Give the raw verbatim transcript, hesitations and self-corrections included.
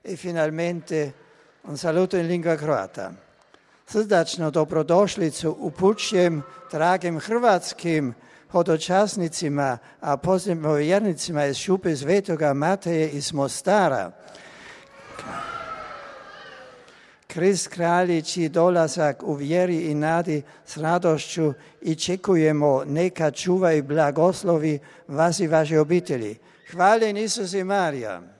e finalmente un saluto in lingua croata. Srdačno dobrodošlicu upućujem dragim hrvatskim hodočasnicima, a posebno vjernicima iz Šupe Svetoga Mateje iz Mostara. Krist kralji čiji dolazak u vjeri i nadi s radošću i čekujemo, neka čuva i blagoslovi vas i vaše obitelji. Hvaljen Isus i Marija.